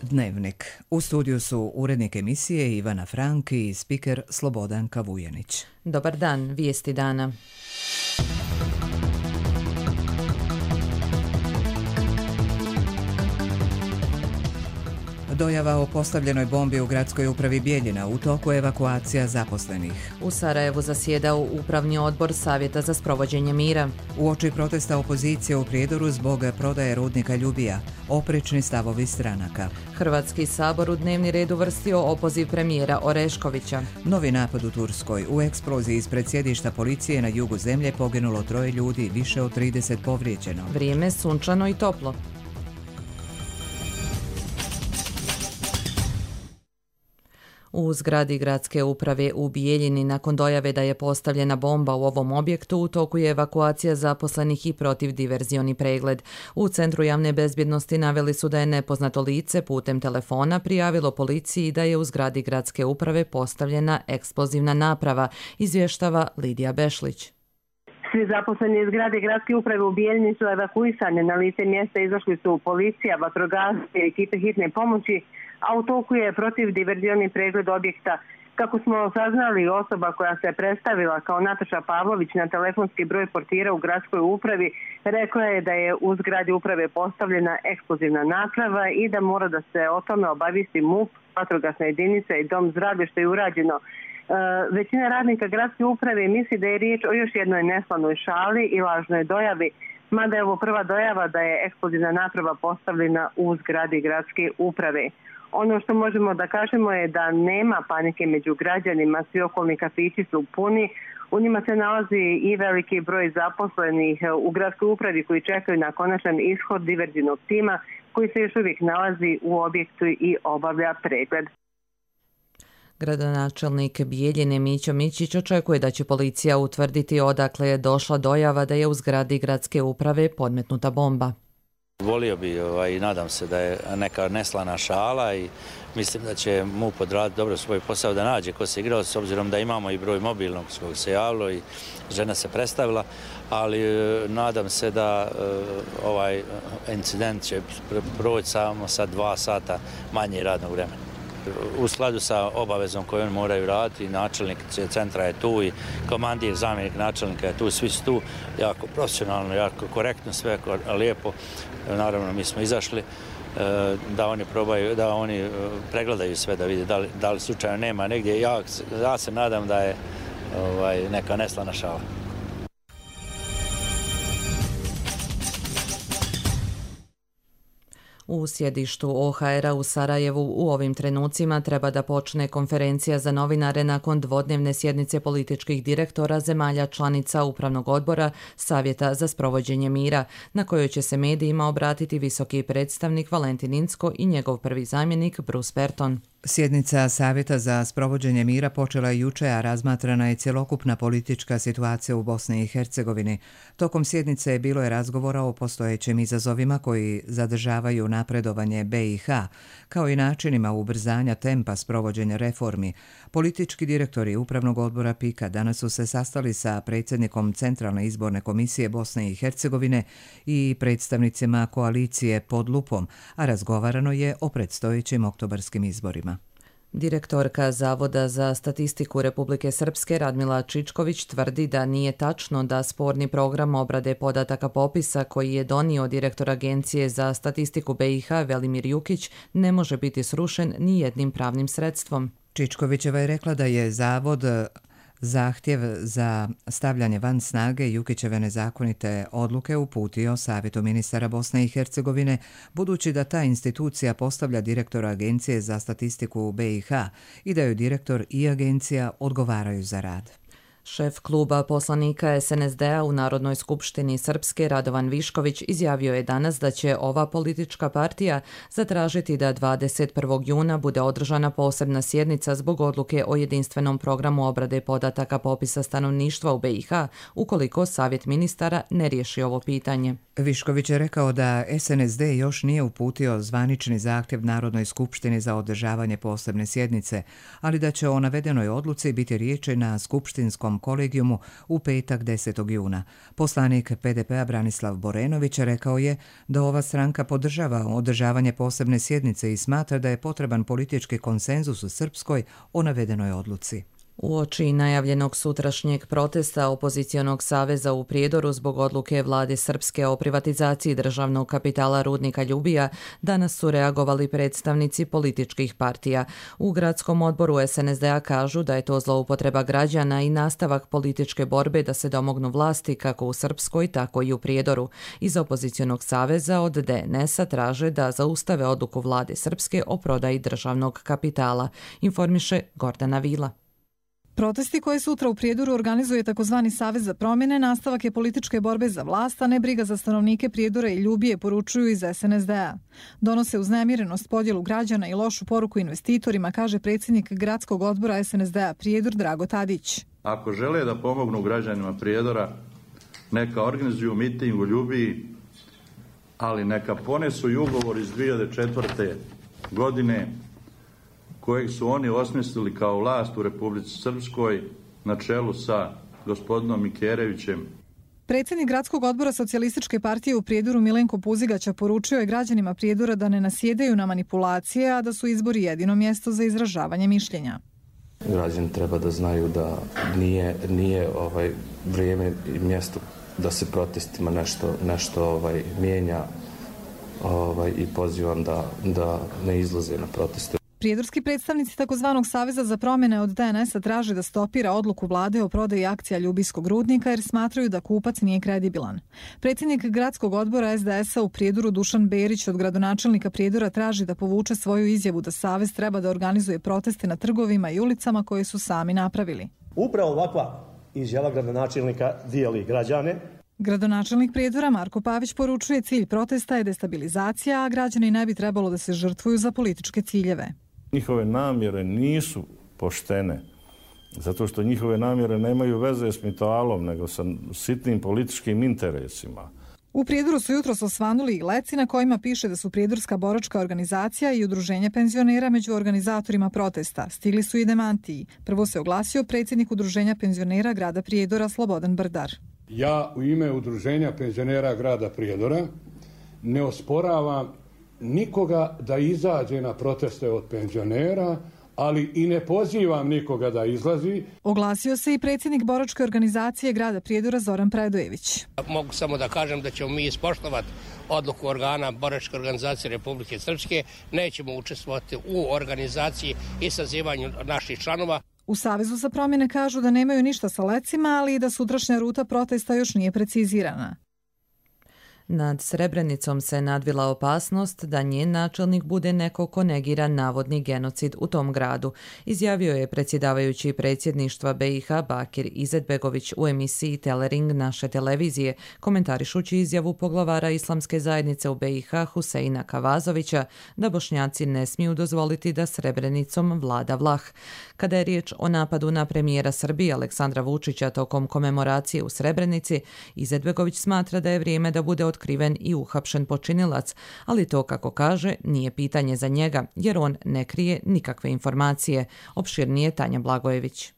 Dnevnik. U studiju su urednik emisije Ivana Frank i spiker Slobodan Kavujanić. Dobar dan, vijesti dana. Dojava o postavljenoj bombi u gradskoj upravi Bijeljina, u toku evakuacija zaposlenih. U Sarajevu zasjedao upravni odbor Savjeta za sprovođenje mira. Uoči protesta opozicije u Prijedoru zbog prodaje rudnika Ljubija, oprečni stavovi stranaka. Hrvatski sabor u dnevni red uvrstio opoziv premijera Oreškovića. Novi napad u Turskoj. U eksploziji ispred sjedišta policije na jugu zemlje poginulo 3 ljudi, više od 30 povrijeđeno. Vrijeme sunčano i toplo. U zgradi gradske uprave u Bijeljini nakon dojave da je postavljena bomba u ovom objektu u toku je evakuacija zaposlenih i protivdiverzioni pregled. U Centru javne bezbjednosti naveli su da je nepoznato lice putem telefona prijavilo policiji da je u zgradi gradske uprave postavljena eksplozivna naprava, izvještava Lidija Bešlić. Svi zaposleni iz zgrade gradske uprave u Bijeljini su evakuisani. Na lice mjesta izašli su policija, vatrogasci i ekipe hitne pomoći, a u toku je protivdiverzioni pregled objekta. Kako smo saznali, osoba koja se predstavila kao Nataša Pavlović na telefonski broj portira u gradskoj upravi rekla je da je u zgradi uprave postavljena eksplozivna naprava i da mora da se o tome obavijesti MUP, vatrogasna jedinica i dom zdravlja, što je urađeno. Većina radnika gradske uprave misli da je riječ o još jednoj neslavnoj šali i lažnoj dojavi, mada je ovo prva dojava da je eksplozivna naprava postavljena u zgradi gradske uprave. Ono što možemo da kažemo je da nema panike među građanima, svi okolni kafići su puni, u njima se nalazi i veliki broj zaposlenih u gradskoj upravi koji čekaju na konačan ishod diverzivnog tima koji se još uvijek nalazi u objektu i obavlja pregled. Gradonačelnik Bijeljine Mićo Mićić očekuje da će policija utvrditi odakle je došla dojava da je u zgradi gradske uprave podmetnuta bomba. Volio bi i nadam se da je neka neslana šala i mislim da će MUP odraditi dobro svoj posao da nađe ko se igrao, s obzirom da imamo i broj mobilnog s kojeg se javilo i žena se predstavila, ali nadam se da ovaj incident će proći samo sa 2 sata manje radnog vremena. U skladu sa obavezom koju oni moraju raditi, načelnik centra je tu i komandir, zamjenik načelnika je tu, svi su tu, jako profesionalno, jako korektno, sve lijepo. Naravno, mi smo izašli da oni probaju, da oni pregledaju sve, da vide da li slučajno nema negdje. Ja se nadam da je neka neslana šala. U sjedištu OHR-a u Sarajevu u ovim trenucima treba da počne konferencija za novinare nakon dvodnevne sjednice političkih direktora zemalja članica Upravnog odbora Savjeta za sprovođenje mira, na kojoj će se medijima obratiti visoki predstavnik Valentin Incko i njegov prvi zamjenik Bruce Berton. Sjednica Savjeta za sprovođenje mira počela je juče, a razmatrana je cjelokupna politička situacija u Bosni i Hercegovini. Tokom sjednice bilo je razgovora o postojećim izazovima koji zadržavaju napredovanje BiH, kao i načinima ubrzanja tempa sprovođenja reformi. Politički direktori Upravnog odbora PIK-a danas su se sastali sa predsjednikom Centralne izborne komisije Bosne i Hercegovine i predstavnicima koalicije Pod lupom, a razgovarano je o predstojećim oktobarskim izborima. Direktorka Zavoda za statistiku Republike Srpske Radmila Čičković tvrdi da nije tačno da sporni program obrade podataka popisa koji je donio direktor Agencije za statistiku BiH Velimir Jukić ne može biti srušen ni jednim pravnim sredstvom. Čičkovićeva je rekla da je Zavod zahtjev za stavljanje van snage Jukićeve nezakonite odluke uputio Savjetu ministara Bosne i Hercegovine, budući da ta institucija postavlja direktora Agencije za statistiku u BiH i da joj direktor i agencija odgovaraju za rad. Šef kluba poslanika SNSD-a u Narodnoj skupštini Srpske Radovan Višković izjavio je danas da će ova politička partija zatražiti da 21. juna bude održana posebna sjednica zbog odluke o jedinstvenom programu obrade podataka popisa stanovništva u BiH ukoliko Savjet ministara ne riješi ovo pitanje. Višković je rekao da SNSD još nije uputio zvanični zahtjev Narodnoj skupštini za održavanje posebne sjednice, ali da će o navedenoj odluci biti riječi na skupštinskom kolegijumu u petak 10. juna. Poslanik PDP-a Branislav Borenović rekao je da ova stranka podržava održavanje posebne sjednice i smatra da je potreban politički konsenzus u Srpskoj o navedenoj odluci. Uoči najavljenog sutrašnjeg protesta opozicionog saveza u Prijedoru zbog odluke vlade Srpske o privatizaciji državnog kapitala rudnika Ljubija, danas su reagovali predstavnici političkih partija. U gradskom odboru SNSD-a kažu da je to zloupotreba građana i nastavak političke borbe da se domognu vlasti kako u Srpskoj, tako i u Prijedoru. Iz opozicionog saveza od DNS-a traže da zaustave odluku vlade Srpske o prodaji državnog kapitala, informiše Gordana Vila. Protesti koje sutra u Prijedoru organizuje takozvani Savez za promjene nastavak je političke borbe za vlast, a ne briga za stanovnike Prijedora i Ljubije, poručuju iz SNSD-a. Donose uznemirenost, podjelu građana i lošu poruku investitorima, kaže predsjednik gradskog odbora SNSD-a Prijedor Drago Tadić. Ako žele da pomognu građanima Prijedora, neka organizuju miting u Ljubiji, ali neka ponesu i ugovor iz 2004. godine kojeg su oni osmislili kao vlast u Republici Srpskoj na čelu sa gospodinom Mikerevićem. Predsjednik gradskog odbora Socijalističke partije u Prijedoru Milenko Puzigaća poručio je građanima Prijedora da ne nasjedaju na manipulacije, a da su izbori jedino mjesto za izražavanje mišljenja. Građani treba da znaju da nije vrijeme i mjesto da se protestima nešto mijenja i pozivam da ne izlaze na proteste. Prijedorski predstavnici takozvanog Saveza za promjene od DNS-a traže da stopira odluku vlade o prodaji akcija Ljubijskog rudnika jer smatraju da kupac nije kredibilan. Predsjednik gradskog odbora SDS-a u Prijedoru Dušan Berić od gradonačelnika Prijedora traži da povuče svoju izjavu da Savez treba da organizuje proteste na trgovima i ulicama koje su sami napravili. Upravo ovakva izjava gradonačelnika dijeli građane. Gradonačelnik Prijedora Marko Pavić poručuje cilj protesta je destabilizacija, a građani ne bi trebalo da se žrtvuju za političke ciljeve. Njihove namjere nisu poštene, zato što njihove namjere nemaju veze s mitalom, nego sa sitnim političkim interesima. U Prijedoru su jutros osvanuli i leci na kojima piše da su Prijedorska boračka organizacija i udruženje penzionera među organizatorima protesta. Stigli su i demantiji. Prvo se oglasio predsjednik udruženja penzionera grada Prijedora Slobodan Brdar. Ja u ime udruženja penzionera grada Prijedora ne osporavam nikoga da izađe na proteste od penzionera, ali i ne pozivam nikoga da izlazi. Oglasio se i predsjednik boračke organizacije grada Prijedora Zoran Predojević. Mogu samo da kažem da ćemo mi ispoštovati odluku organa boračke organizacije Republike Srpske. Nećemo učestvovati u organizaciji i sazivanju naših članova. U Savezu za promjene kažu da nemaju ništa sa lecima, ali i da sutrašnja ruta protesta još nije precizirana. Nad Srebrenicom se nadvila opasnost da njen načelnik bude neko ko negira navodni genocid u tom gradu, izjavio je predsjedavajući predsjedništva BiH Bakir Izetbegović u emisiji Telering naše televizije, komentarišući izjavu poglavara Islamske zajednice u BiH Huseina Kavazovića da Bošnjaci ne smiju dozvoliti da Srebrenicom vlada Vlah. Kada je riječ o napadu na premijera Srbije Aleksandra Vučića tokom komemoracije u Srebrenici, Izetbegović smatra da je vrijeme da bude otkriven i uhapšen počinilac, ali to, kako kaže, nije pitanje za njega, jer on ne krije nikakve informacije. Opširnije Tanja Blagojević.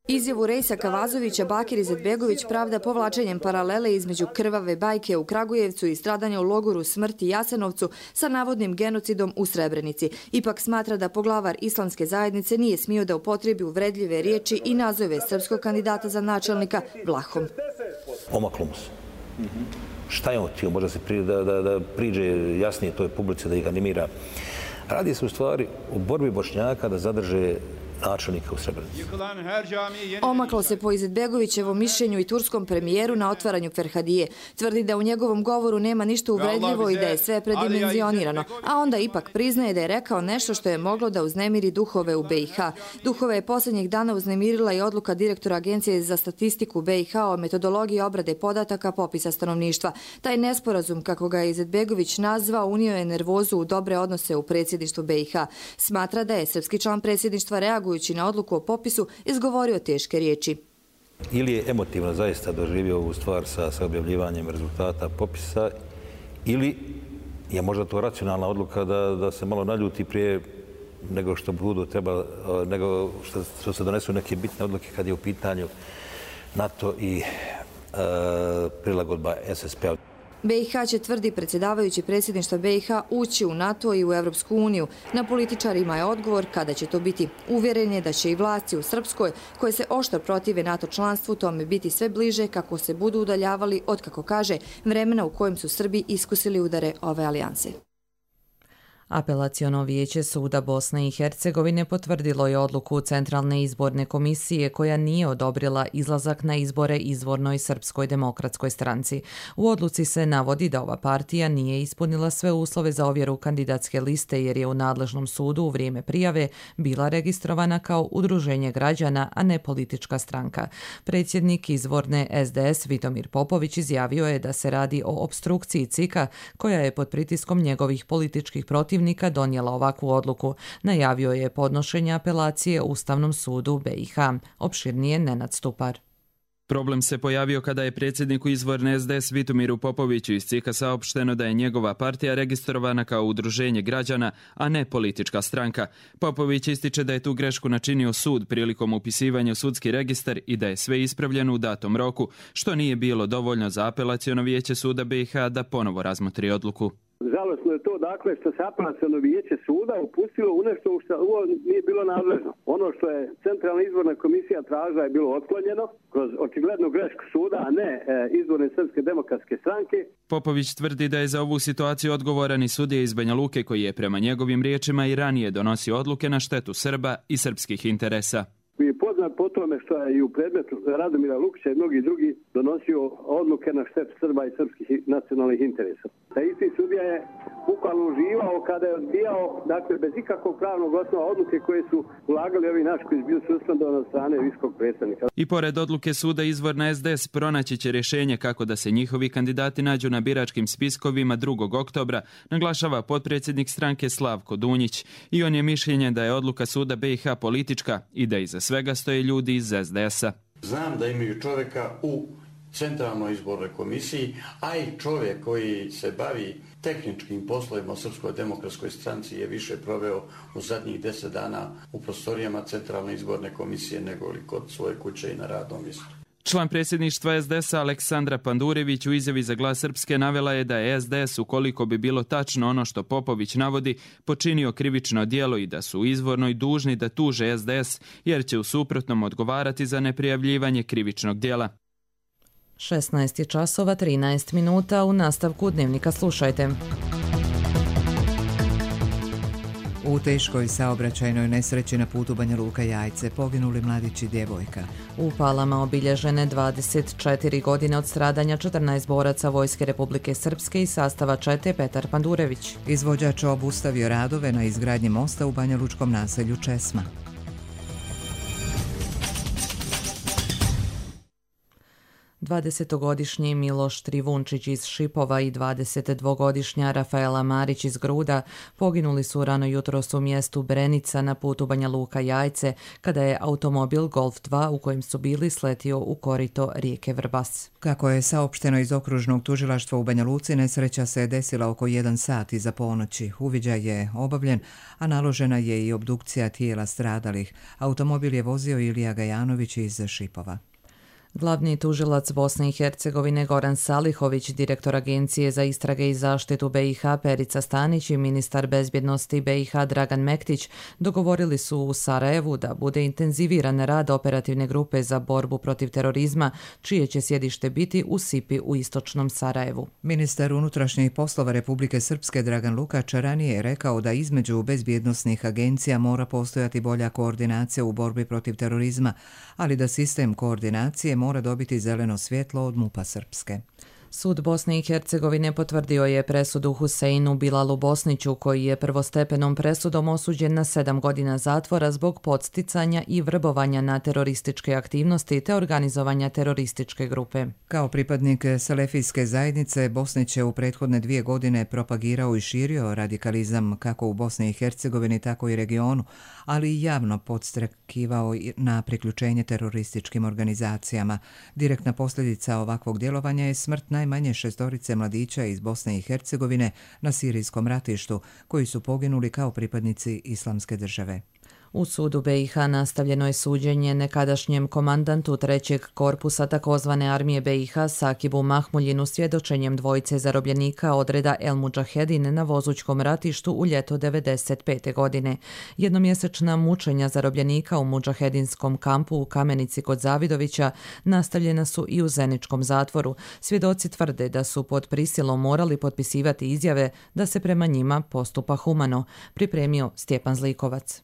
Izjavu Rejsa Kavazovića Bakir Izetbegović pravda povlačenjem paralele između krvave bajke u Kragujevcu i stradanja u logoru smrti Jasenovcu sa navodnim genocidom u Srebrenici. Ipak smatra da poglavar Islamske zajednice nije smio da upotrebi uvredljive riječi i nazove srpskog kandidata za načelnika Vlahom. Omaklo mu se. Šta je on htio? Možda se da priđe jasnije toj publici, da ih animira. Radi se u stvari u borbi Bošnjaka da zadrže načelnika u Srebrenici. Omaklo se po Izetbegovićevom mišljenju i turskom premijeru na otvaranju Ferhadije. Tvrdi da u njegovom govoru nema ništa uvredljivo i da je sve predimenzionirano, a onda ipak priznaje da je rekao nešto što je moglo da uznemiri duhove u BiH. Duhove je posljednjih dana uznemirila i odluka direktora Agencije za statistiku BiH o metodologiji obrade podataka popisa stanovništva. Taj nesporazum, kako ga je Izetbegović nazvao, unio je nervozu u dobre odnose u predsjedništvu BiH. Smatra da je srpski član predsjedništva reagujući na odluku o popisu izgovorio teške riječi. ili je emotivno zaista doživio ovu stvar sa objavljivanjem rezultata popisa, ili je možda to racionalna odluka da se malo naljuti prije nego što budu treba, nego što se donesu neke bitne odluke kad je u pitanju NATO i prilagodba SSP-a. BiH će, tvrdi predsjedavajući predsjedništva BiH, ući u NATO i u Evropsku uniju. Na političarima je odgovor kada će to biti. Uvjeren je da će i vlasti u Srpskoj, koje se oštro protive NATO članstvu, tome biti sve bliže kako se budu udaljavali od, kako kaže, vremena u kojem su Srbi iskusili udare ove alijanse. Apelaciono vijeće suda Bosne i Hercegovine potvrdilo je odluku Centralne izborne komisije koja nije odobrila izlazak na izbore izvornoj Srpskoj demokratskoj stranci. U odluci se navodi da ova partija nije ispunila sve uslove za ovjeru kandidatske liste jer je u nadležnom sudu u vrijeme prijave bila registrovana kao udruženje građana, a ne politička stranka. Predsjednik izvorne SDS Vitomir Popović izjavio je da se radi o opstrukciji CIK-a koja je pod pritiskom njegovih političkih protivnika donijela ovakvu odluku. Najavio je podnošenje apelacije Ustavnom sudu BiH. Opširnije Nenad Stupar. Problem se pojavio kada je predsjedniku izvorne SDS Vitomiru Popoviću iz CIK-a saopšteno da je njegova partija registrovana kao udruženje građana, a ne politička stranka. Popović ističe da je tu grešku načinio sud prilikom upisivanja u sudski registar i da je sve ispravljeno u datom roku, što nije bilo dovoljno za apelaciono vijeće suda BiH da ponovo razmotri odluku. Žalosno je to dakle što se apelaciono vijeće suda upustilo u nešto što nije bilo nadležno. Ono što je Centralna izborna komisija tražila je bilo otklonjeno kroz očiglednu grešku suda, a ne izborne Srpske demokratske stranke. Popović tvrdi da je za ovu situaciju odgovoran i sudija iz Banja Luke koji je prema njegovim riječima i ranije donosio odluke na štetu Srba i srpskih interesa. Je poznat po tome što je i u predmetu Radomira Lukića i mnogi drugi donosio odluke na štetu Srba i srpskih nacionalnih interesa. Taj isti sudija je bukvalno uživao kada je odbijao, dakle, bez ikakvog pravnog osnova odluke koje su ulagali ovi naši koji su bili suspendovani od strane visokog predstavnika. I pored odluke suda izvorna SDS pronaći će rješenje kako da se njihovi kandidati nađu na biračkim spiskovima 2. oktobra, naglašava potpredsjednik stranke Slavko Dunjić. I on je mišljenja da je odluka suda BiH politička i da iza svega stoje ljudi iz SDS-a. Znam da imaju čovjeka u Centralnoj izbornoj komisiji, a i čovjek koji se bavi tehničkim poslovima u Srpskoj demokratskoj stranci je više proveo u zadnjih 10 dana u prostorijama Centralne izborne komisije nego li kod svoje kuće i na radnom mjestu. Član predsjedništva SDS-a Aleksandra Pandurević u izjavi za Glas Srpske navela je da je SDS, ukoliko bi bilo tačno ono što Popović navodi, počinio krivično djelo i da su izvorno i dužni da tuže SDS jer će u suprotnom odgovarati za neprijavljivanje krivičnog djela. 16:13 u nastavku Dnevnika slušajte. U teškoj saobraćajnoj nesreći na putu Banja Luka-Jajce poginuli mladić i djevojka. U Palama obilježene 24 godine od stradanja 14 boraca Vojske Republike Srpske i sastava čete Petar Pandurević. Izvođač obustavio radove na izgradnji mosta u banjalučkom naselju Česma. Dvadesetogodišnji Miloš Trivunčić iz Šipova i 22-godišnja Rafaela Marić iz Gruda poginuli su rano jutros u mjestu Brenica na putu Banja Luka-Jajce kada je automobil Golf 2 u kojem su bili sletio u korito rijeke Vrbas. Kako je saopšteno iz okružnog tužilaštva u Banja Luci, nesreća se desila oko 1 sat iza ponoći. Uviđaj je obavljen, a naložena je i obdukcija tijela stradalih. Automobil je vozio Ilija Gajanović iz Šipova. Glavni tužilac Bosne i Hercegovine Goran Salihović, direktor Agencije za istrage i zaštitu BiH Perica Stanić i ministar bezbjednosti BiH Dragan Mektić dogovorili su u Sarajevu da bude intenziviran rad operativne grupe za borbu protiv terorizma, čije će sjedište biti u Sipi u istočnom Sarajevu. Ministar unutrašnjih poslova Republike Srpske Dragan Lukač ranije je rekao da između bezbjednosnih agencija mora postojati bolja koordinacija u borbi protiv terorizma, ali da sistem koordinacije mora dobiti zeleno svjetlo od MUP-a Srpske. Sud Bosne i Hercegovine potvrdio je presudu Huseinu Bilalu Bosniću, koji je prvostepenom presudom osuđen na 7 godina zatvora zbog podsticanja i vrbovanja na terorističke aktivnosti te organizovanja terorističke grupe. Kao pripadnik selefijske zajednice, Bosnić je u prethodne 2 godine propagirao i širio radikalizam kako u Bosni i Hercegovini, tako i regionu, ali i javno podstrekivao na priključenje terorističkim organizacijama. Direktna posljedica ovakvog djelovanja je smrt najmanje 6 mladića iz Bosne i Hercegovine na sirijskom ratištu, koji su poginuli kao pripadnici Islamske države. U sudu BiH nastavljeno je suđenje nekadašnjem komandantu 3. korpusa takozvane armije BiH Sakibu Mahmuljinu svjedočenjem dvojice zarobljenika odreda El Mudžahedin na Vozućkom ratištu u ljeto 1995. godine. Jednomjesečna mučenja zarobljenika u Mudžahedinskom kampu u Kamenici kod Zavidovića nastavljena su i u Zeničkom zatvoru. Svjedoci tvrde da su pod prisilom morali potpisivati izjave da se prema njima postupa humano, pripremio Stjepan Zlikovac.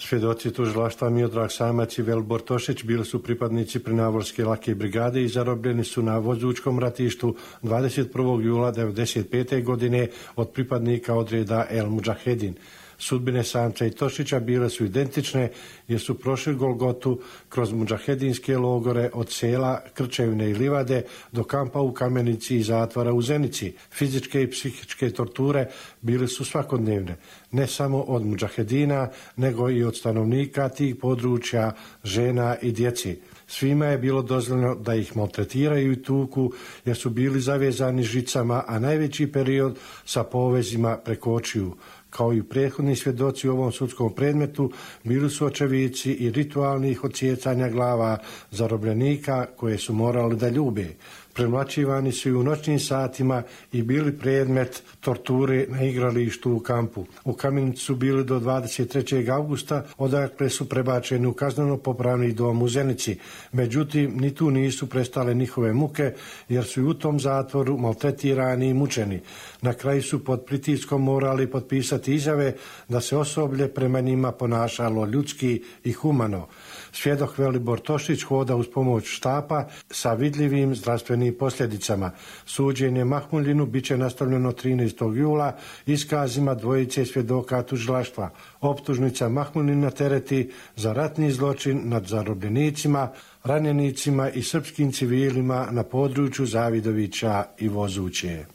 Svjedoci tužilaštva Miodrag Samac i Velibor Tošić bili su pripadnici Prinavolske lake brigade i zarobljeni su na Vozućkom ratištu 21. jula 1995. godine od pripadnika odreda El Mudžahedin. Sudbine Samca i Tošića bile su identične jer su prošli Golgotu kroz mudžahedinske logore od sela Krčevine i Livade do kampa u Kamenici i zatvora u Zenici. Fizičke i psihičke torture bile su svakodnevne, ne samo od mudžahedina, nego i od stanovnika tih područja, žena i djeci. Svima je bilo dozvoljeno da ih maltretiraju i tuku jer su bili zavezani žicama, a najveći period sa povezima preko očiju. Kao i prethodni svjedoci u ovom sudskom predmetu, bili su očevici i ritualnih odsjecanja glava zarobljenika koje su morali da ljube. Premlaćivani su i u noćnim satima i bili predmet torture na igralištu u kampu. U Kamenici su bili do 23. augusta, odakle su prebačeni u kazneno-popravni dom u Zenici. Međutim, ni tu nisu prestale njihove muke, jer su i u tom zatvoru maltretirani i mučeni. Na kraju su pod pritiskom morali potpisati izjave da se osoblje prema njima ponašalo ljudski i humano. Svjedok Velibor Tošić hoda uz pomoć štapa sa vidljivim zdravstvenim posljedicama. Suđenje Mahmuljinu bit će nastavljeno 13. jula iskazima dvojice svjedoka tužilaštva. Optužnica Mahmuljina tereti za ratni zločin nad zarobljenicima, ranjenicima i srpskim civilima na području Zavidovića i Vozuće.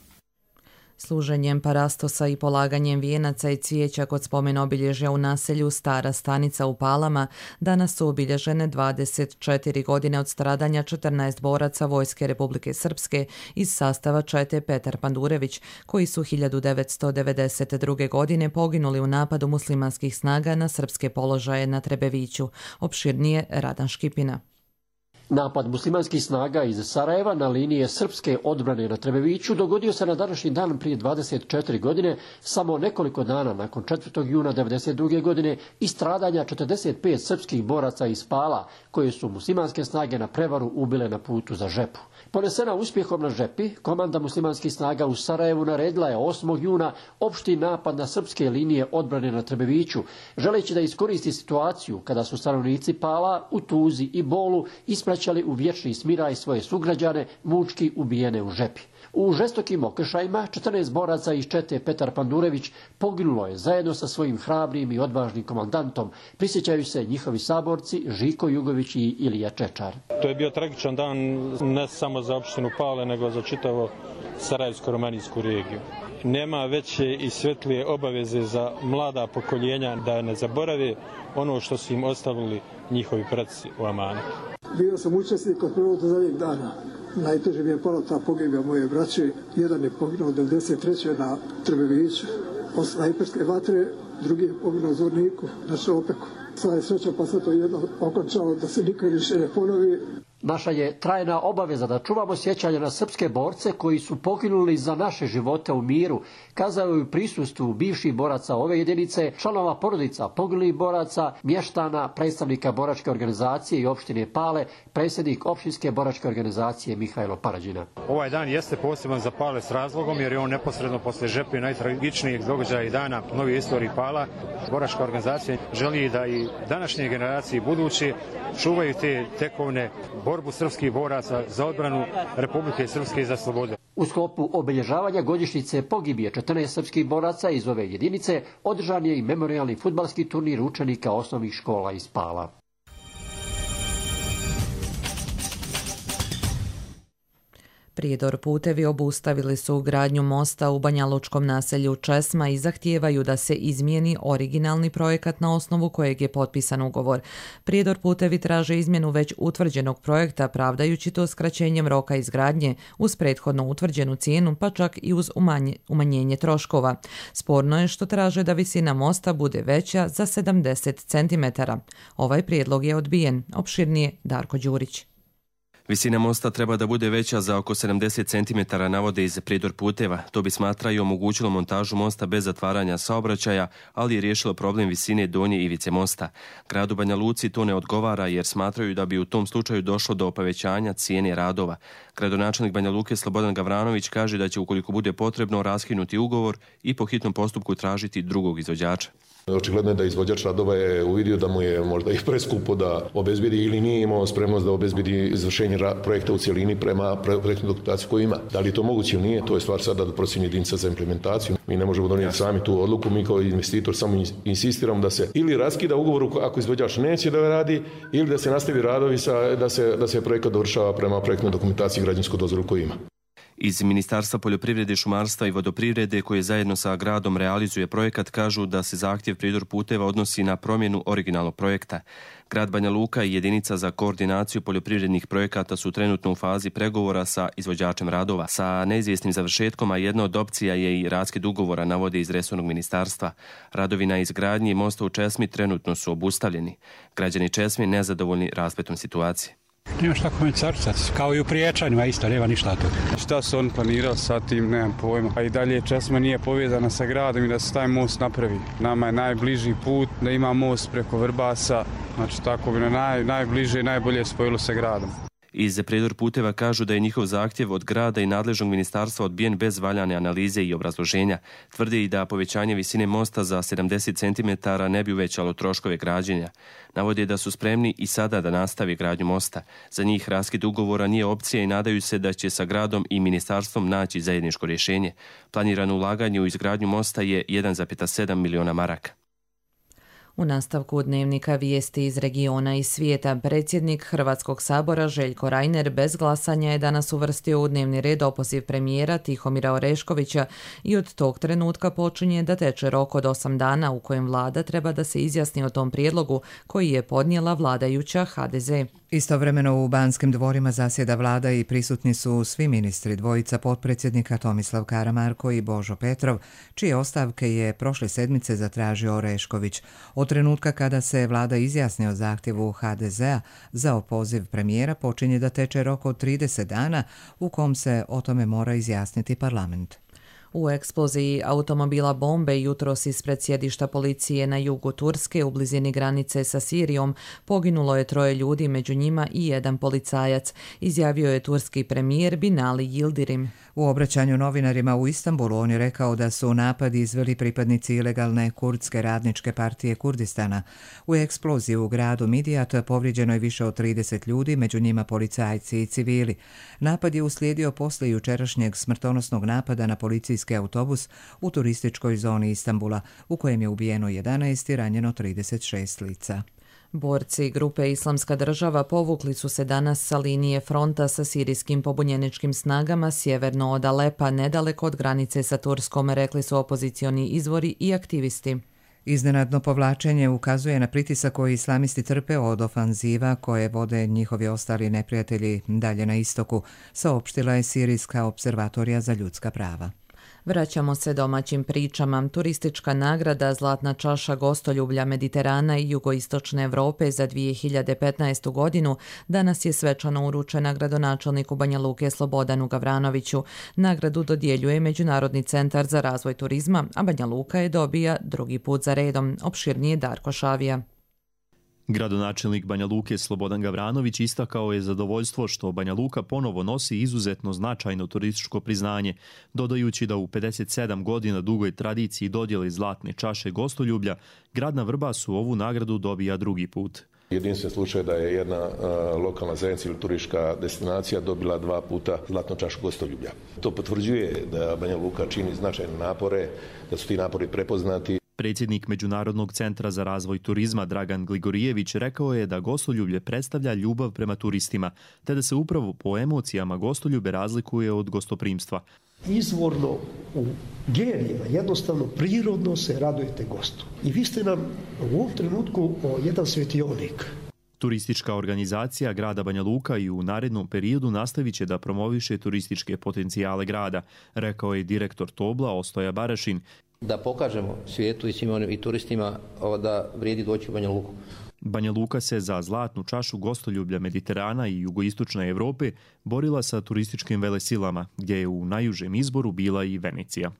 Služenjem parastosa i polaganjem vijenaca i cvijeća kod spomen obilježja u naselju Stara Stanica u Palama danas su obilježene 24 godine od stradanja 14 boraca Vojske Republike Srpske iz sastava čete Petar Pandurević, koji su 1992. godine poginuli u napadu muslimanskih snaga na srpske položaje na Trebeviću. Opširnije Radan Škipina. Napad muslimanskih snaga iz Sarajeva na linije srpske odbrane na Trebeviću dogodio se na današnji dan prije 24 godine, samo nekoliko dana nakon 4. juna 1992. godine i stradanja 45 srpskih boraca iz Pala, koje su muslimanske snage na prevaru ubile na putu za Žepu. Ponesena uspjehom na Žepi, komanda muslimanskih snaga u Sarajevu naredila je 8. juna opšti napad na srpske linije odbrane na Trebeviću, želeći da iskoristi situaciju kada su stanovnici Pala u tuzi i bolu ispraćali u vječni smiraj svoje sugrađane, mučki ubijene u Žepi. U žestokim okršajima 14 boraca iz čete Petar Pandurević poginulo je zajedno sa svojim hrabrim i odvažnim komandantom. Prisjećaju se njihovi saborci Žiko Jugović i Ilija Čečar. To je bio tragičan dan ne samo za opštinu Pale, nego za čitavo Sarajevsko-romanijsku regiju. Nema veće i svetlije obaveze za mlada pokoljenja da ne zaborave ono što su im ostavili njihovi preci u amanetu. Bio sam učesnik od prvog do zadnjeg dana. Najteže mi je pala ta pogibija moje braće. Jedan je poginuo 1993. na Trebeviću od snajperske vatre, drugi je poginuo u Zorniku na Šopeku. Sva je sreća pa se to jedno okončalo da se nikad više ne ponovi. Naša je trajna obaveza da čuvamo sjećanje na srpske borce koji su poginuli za naše živote u miru, kazao je u prisustvu bivših boraca ove jedinice, članova porodica poginulih boraca, mještana, predstavnika boračke organizacije i opštine Pale, predsjednik opštinske boračke organizacije Mihajlo Parađina. Ovaj dan jeste poseban za Pale s razlogom jer je on neposredno posle Žepe najtragičnijeg događaja i dana novije istorije Pala. Boračka organizacija želi da i današnje generacije buduće čuvaju te tekovne borbu srpskih boraca za odbranu Republike Srpske i za slobodu. U sklopu obilježavanja godišnjice pogibije 14 srpskih boraca iz ove jedinice održan je i memorijalni fudbalski turnir učenika osnovnih škola iz Pala. Prijedor putevi obustavili su gradnju mosta u banjalučkom naselju Česma i zahtijevaju da se izmijeni originalni projekat na osnovu kojeg je potpisan ugovor. Prijedor putevi traže izmjenu već utvrđenog projekta, pravdajući to skraćenjem roka izgradnje uz prethodno utvrđenu cijenu, pa čak i uz umanjenje troškova. Sporno je što traže da visina mosta bude veća za 70 cm. Ovaj prijedlog je odbijen. Opširnije Darko Đurić. Visina mosta treba da bude veća za oko 70 cm, navode iz Prijedor puteva. To bi, smatraju, omogućilo montažu mosta bez zatvaranja saobraćaja, ali je riješilo problem visine donje ivice mosta. Gradu Banja Luci to ne odgovara jer smatraju da bi u tom slučaju došlo do povećanja cijene radova. Gradonačelnik Banja Luke Slobodan Gavranović kaže da će, ukoliko bude potrebno, raskinuti ugovor i po hitnom postupku tražiti drugog izvođača. Očigledno je da izvođač radova je uvidio da mu je možda i preskupo da obezbedi ili nije imao spremnost da obezbedi izvršenje projekta u cijelini prema projektnoj dokumentaciji koju ima. Da li je to moguće ili nije, to je stvar sada da procjeni jedinica za implementaciju. Mi ne možemo donijeti sami tu odluku, mi kao investitor samo insistiramo da se ili raskida ugovor ako izvođač neće da radi, ili da se nastavi radovi da se projekat dovršava prema projektnoj dokumentaciji i građevinsku dozvolu koju ima. Iz Ministarstva poljoprivrede, šumarstva i vodoprivrede, koje zajedno sa gradom realizuje projekat, kažu da se zahtjev Prijedor puteva odnosi na promjenu originalnog projekta. Grad Banja Luka i jedinica za koordinaciju poljoprivrednih projekata su trenutno u fazi pregovora sa izvođačem radova sa neizvjesnim završetkom, a jedna od opcija je i raskid ugovora, navode iz resornog ministarstva. Radovi na izgradnji mosta u Česmi trenutno su obustavljeni. Građani Česme nezadovoljni raspletom situacije. Nema šta komentaricati, kao i u Priječanjima isto, nema ništa toga. Šta su on planirao sa tim, nemam pojma. A i dalje Česma nije povezana sa gradom i da se taj most napravi. Nama je najbliži put da ima most preko Vrbasa, znači tako bi najbliže i najbolje spojilo sa gradom. Iz Prijedor puteva kažu da je njihov zahtjev od grada i nadležnog ministarstva odbijen bez valjane analize i obrazloženja. Tvrde i da povećanje visine mosta za 70 cm ne bi uvećalo troškove građenja. Navode da su spremni i sada da nastavi gradnju mosta. Za njih raskid ugovora nije opcija i nadaju se da će sa gradom i ministarstvom naći zajedničko rješenje. Planirano ulaganje u izgradnju mosta je 1,7 miliona maraka. U nastavku dnevnika vijesti iz regiona i svijeta, predsjednik Hrvatskog sabora Željko Reiner bez glasanja je danas uvrstio u dnevni red opoziv premijera Tihomira Oreškovića i od tog trenutka počinje da teče rok od 8 dana u kojem vlada treba da se izjasni o tom prijedlogu koji je podnijela vladajuća HDZ. Istovremeno u Banskim dvorima zasjeda vlada i prisutni su svi ministri, dvojica potpredsjednika Tomislav Karamarko i Božo Petrov, čije ostavke je prošle sedmice zatražio Orešković. Od trenutka kada se vlada izjasni o zahtjevu HDZ-a za opoziv premijera počinje da teče rok od 30 dana u kom se o tome mora izjasniti parlament. U eksploziji automobila bombe jutros ispred sjedišta policije na jugu Turske u blizini granice sa Sirijom poginulo je 3 ljudi, među njima i 1 policajac, izjavio je turski premijer Binali Yildirim. U obraćanju novinarima u Istanbulu on je rekao da su napad izveli pripadnici ilegalne kurdske radničke partije Kurdistana. U eksploziji u gradu Midijat povrijeđeno je više od 30 ljudi, među njima policajci i civili. Napad je uslijedio posle jučerašnjeg smrtonosnog napada na policijski autobus u turističkoj zoni Istanbula, u kojem je ubijeno 11 i ranjeno 36 lica. Borci grupe Islamska država povukli su se danas sa linije fronta sa sirijskim pobunjeničkim snagama sjeverno od Alepa, nedaleko od granice sa Turskom, rekli su opozicioni izvori i aktivisti. Iznenadno povlačenje ukazuje na pritisak koji islamisti trpe od ofanziva koje vode njihovi ostali neprijatelji dalje na istoku, saopštila je Sirijska observatorija za ljudska prava. Vraćamo se domaćim pričama. Turistička nagrada Zlatna čaša gostoljublja Mediterana i jugoistočne Europe za 2015. godinu danas je svečano uručena gradonačelniku Banja Luke Slobodanu Gavranoviću. Nagradu dodjeljuje Međunarodni centar za razvoj turizma, a Banja Luka je dobija drugi put za redom. Opširnije Darko Šavija. Gradonačelnik Banja Luke Slobodan Gavranović istakao je zadovoljstvo što Banja Luka ponovo nosi izuzetno značajno turističko priznanje, dodajući da u 57 godina dugoj tradiciji dodjele Zlatne čaše gostoljublja, grad na Vrbasu ovu nagradu dobija drugi put. Jedinstven slučaj da je jedna lokalna zajednica ili turistička destinacija dobila 2 puta zlatnu čašu gostoljublja. To potvrđuje da Banja Luka čini značajne napore, da su ti napori prepoznati. Predsjednik Međunarodnog centra za razvoj turizma Dragan Gligorijević rekao je da gostoljublje predstavlja ljubav prema turistima, te da se upravo po emocijama gostoljube razlikuje od gostoprimstva. Izvorno u genijima, jednostavno prirodno se radujete gostu. I vi ste nam u ovom trenutku jedan svetionik. Turistička organizacija grada Banja Luka i u narednom periodu nastavit će da promoviše turističke potencijale grada, rekao je direktor Tobla Ostoja Barašin. Da pokažemo svijetu i svim onim i turistima da vrijedi doći u Banja Luku. Banja Luka se za zlatnu čašu gostoljublja Mediterana i jugoistočne Europe borila sa turističkim velesilama, gdje je u najužem izboru bila i Venecija.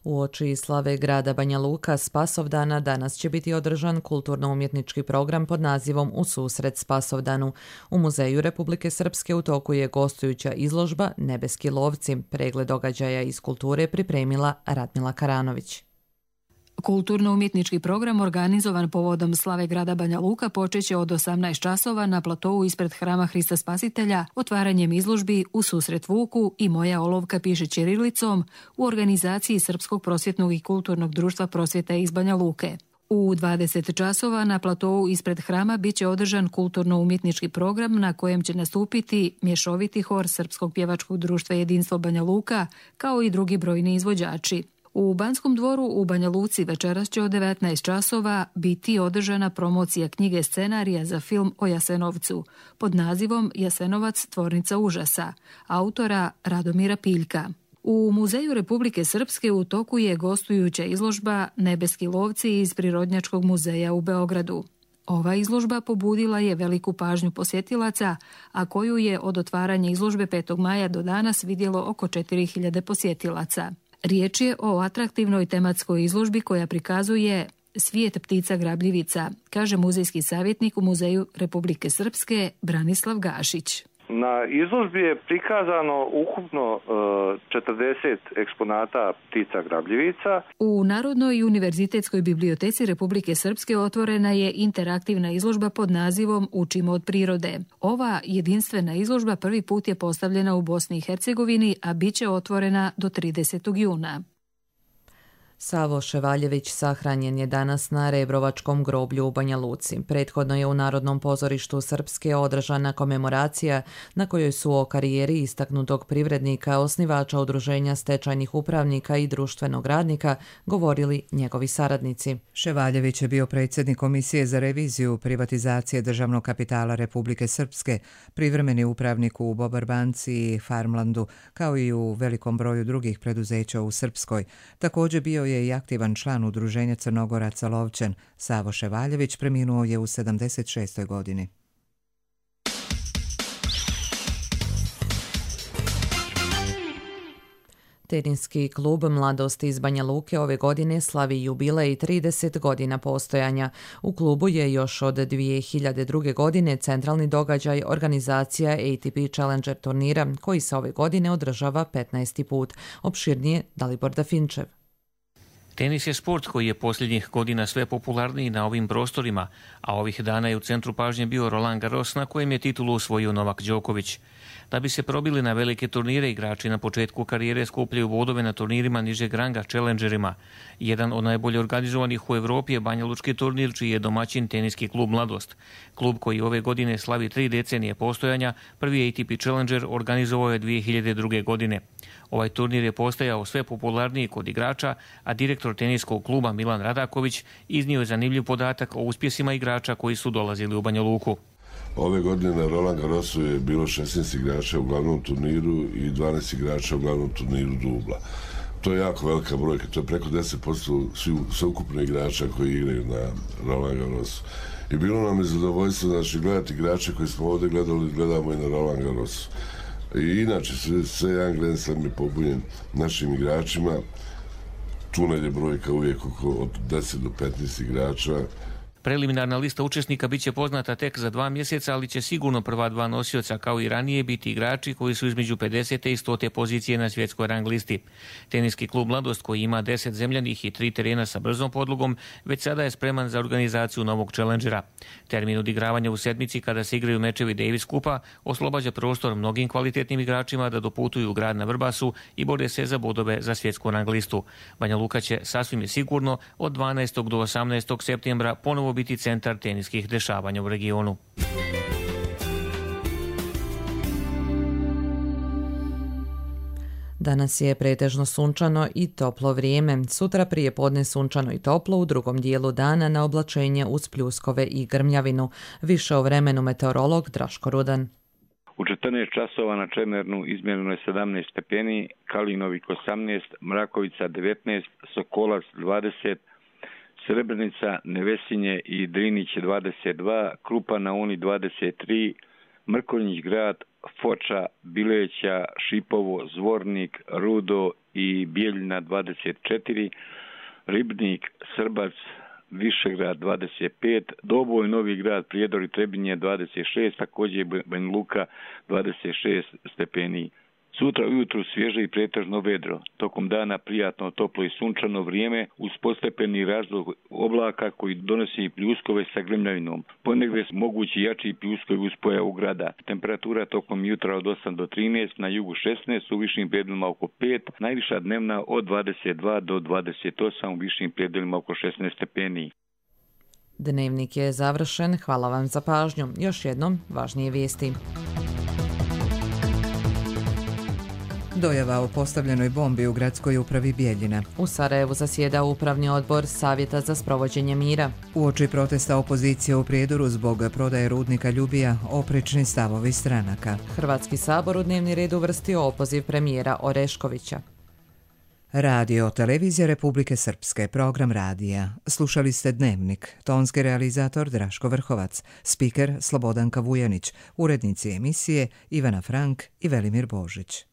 Uoči slave grada Banja Luka Spasovdana danas će biti održan kulturno-umjetnički program pod nazivom U susret Spasovdanu. U Muzeju Republike Srpske u toku je gostujuća izložba Nebeski lovci. Pregled događaja iz kulture pripremila Radmila Karanović. Kulturno-umjetnički program organizovan povodom slave grada Banja Luka počeće od 18 časova na platovu ispred Hrama Hrista Spasitelja otvaranjem izložbi U susret Vuku i Moja olovka piše ćirilicom u organizaciji Srpskog prosvjetnog i kulturnog društva prosvjeta iz Banja Luke. U 20 časova na platovu ispred hrama bit će održan kulturno-umjetnički program na kojem će nastupiti mješoviti hor Srpskog pjevačkog društva Jedinstvo Banja Luka kao i drugi brojni izvođači. U Banskom dvoru u Banja Luci večeras će od 19 časova biti održana promocija knjige scenarija za film o Jasenovcu pod nazivom Jasenovac tvornica užasa, autora Radomira Piljka. U Muzeju Republike Srpske u toku je gostujuća izložba Nebeski lovci iz Prirodnjačkog muzeja u Beogradu. Ova izložba pobudila je veliku pažnju posjetilaca, a koju je od otvaranja izložbe 5. maja do danas vidjelo oko 4000 posjetilaca. Riječ je o atraktivnoj tematskoj izložbi koja prikazuje svijet ptica grabljivica, kaže muzejski savjetnik u Muzeju Republike Srpske Branislav Gašić. Na izložbi je prikazano ukupno 40 eksponata ptica grabljivica. U Narodnoj i univerzitetskoj biblioteci Republike Srpske otvorena je interaktivna izložba pod nazivom Učimo od prirode. Ova jedinstvena izložba prvi put je postavljena u Bosni i Hercegovini, a bit će otvorena do 30. juna. Savo Ševaljević sahranjen je danas na Rebrovačkom groblju u Banja Luci. Prethodno je u Narodnom pozorištu Srpske održana komemoracija na kojoj su o karijeri istaknutog privrednika, osnivača udruženja stečajnih upravnika i društvenog radnika govorili njegovi saradnici. Ševaljević je bio predsjednik Komisije za reviziju privatizacije državnog kapitala Republike Srpske, privremeni upravnik u Bobar banci i Farmlandu, kao i u velikom broju drugih preduzeća u Srpskoj. Također bio je i aktivan član udruženja Crnogoraca Lovćen. Savo Ševaljević preminuo je u 76. godini. Teniski klub Mladost iz Banja Luke ove godine slavi jubilej 30 godina postojanja. U klubu je još od 2002. godine centralni događaj organizacija ATP Challenger turnira, koji se ove godine održava 15. put. Opširnije Dalibor Dafinčev. Tenis je sport koji je posljednjih godina sve popularniji na ovim prostorima, a ovih dana je u centru pažnje bio Roland Garros na kojem je titulu osvojio Novak Đoković. Da bi se probili na velike turnire, igrači na početku karijere skupljaju bodove na turnirima nižeg ranga, Challengerima. Jedan od najbolje organizovanih u Evropi je banjalučki turnir, čiji je domaćin teniski klub Mladost. Klub koji ove godine slavi 3 decenije postojanja, prvi ATP Challenger organizovao je 2002. godine. Ovaj turnir je postajao sve popularniji kod igrača, a direktor teniskog kluba Milan Radaković iznio je zanimljiv podatak o uspjesima igrača koji su dolazili u Banja Luku. Ove godine na Roland Garrosu je bilo 16 igrača u glavnom turniru i 12 igrača u glavnom turniru dubla. To je jako velika brojka, to je preko 10% sveukupno igrača koji igraju na Roland Garrosu. I bilo nam je zadovoljstvo gledati igrače koji smo ovdje gledali, gledamo i na Roland Garrosu. I inače sve jedan Grand Slam je pobunjen našim igračima. Tu je brojka uvijek od 10 do 15 igrača. Preliminarna lista učesnika bit će poznata tek za 2 mjeseca, ali će sigurno prva 2 nosioca kao i ranije biti igrači koji su između 50. i 100. pozicije na svjetskoj rang listi. Teniski klub Mladost, koji ima 10 zemljanih i 3 terena sa brzom podlogom, već sada je spreman za organizaciju novog challengera. Termin odigravanja u sedmici kada se igraju mečevi Davis Kupa oslobađa prostor mnogim kvalitetnim igračima da doputuju u grad na Vrbasu i bore se za bodove za svjetsku rang listu. Banja Luka će sasvim je sigurno od 12. do 18. septembra ponovo biti centar teniskih dešavanja u regionu. Danas je pretežno sunčano i toplo vrijeme. Sutra prije podne sunčano i toplo, u drugom dijelu dana na oblačenje uz pljuskove i grmljavinu. Više o vremenu meteorolog Draško Rudan. U 14 časova na Čemernu izmjereno je 17 stepeni, Kalinovik 18, Mrakovica 19, Sokolac 20, Srebrenica, Nevesinje i Drinić 22, Krupa na Uni 23, Mrkonjić grad, Foča, Bileća, Šipovo, Zvornik, Rudo i Bijeljina 24, Ribnik, Srbac, Višegrad 25, Doboj, Novi grad, Prijedor i Trebinje 26, također Banja Luka 26 stepeni. Sutra ujutru svježe i pretežno vedro. Tokom dana prijatno, toplo i sunčano vrijeme uz postepeni razlog oblaka koji donosi pljuskove sa grmljavinom. Ponegdje mogući jači pljuskovi uz pojavu grada. Temperatura tokom jutra od 8 do 13, na jugu 16, u višim predjelima oko 5, najviša dnevna od 22 do 28, u višim predjelima oko 16 stepeni. Dnevnik je završen. Hvala vam za pažnju. Još jednom važnije vijesti. Dojava o postavljenoj bombi u gradskoj upravi Bijeljina. U Sarajevu zasjeda upravni odbor Savjeta za sprovođenje mira. Uoči protesta opozicije u Prijedoru zbog prodaje rudnika Ljubija, oprečni stavovi stranaka. Hrvatski sabor u dnevni red uvrstio opoziv premijera Oreškovića. Radio Televizija Republike Srpske, program radija. Slušali ste Dnevnik, tonski realizator Draško Vrhovac, spiker Slobodanka Vujanić, urednici emisije Ivana Frank i Velimir Božić.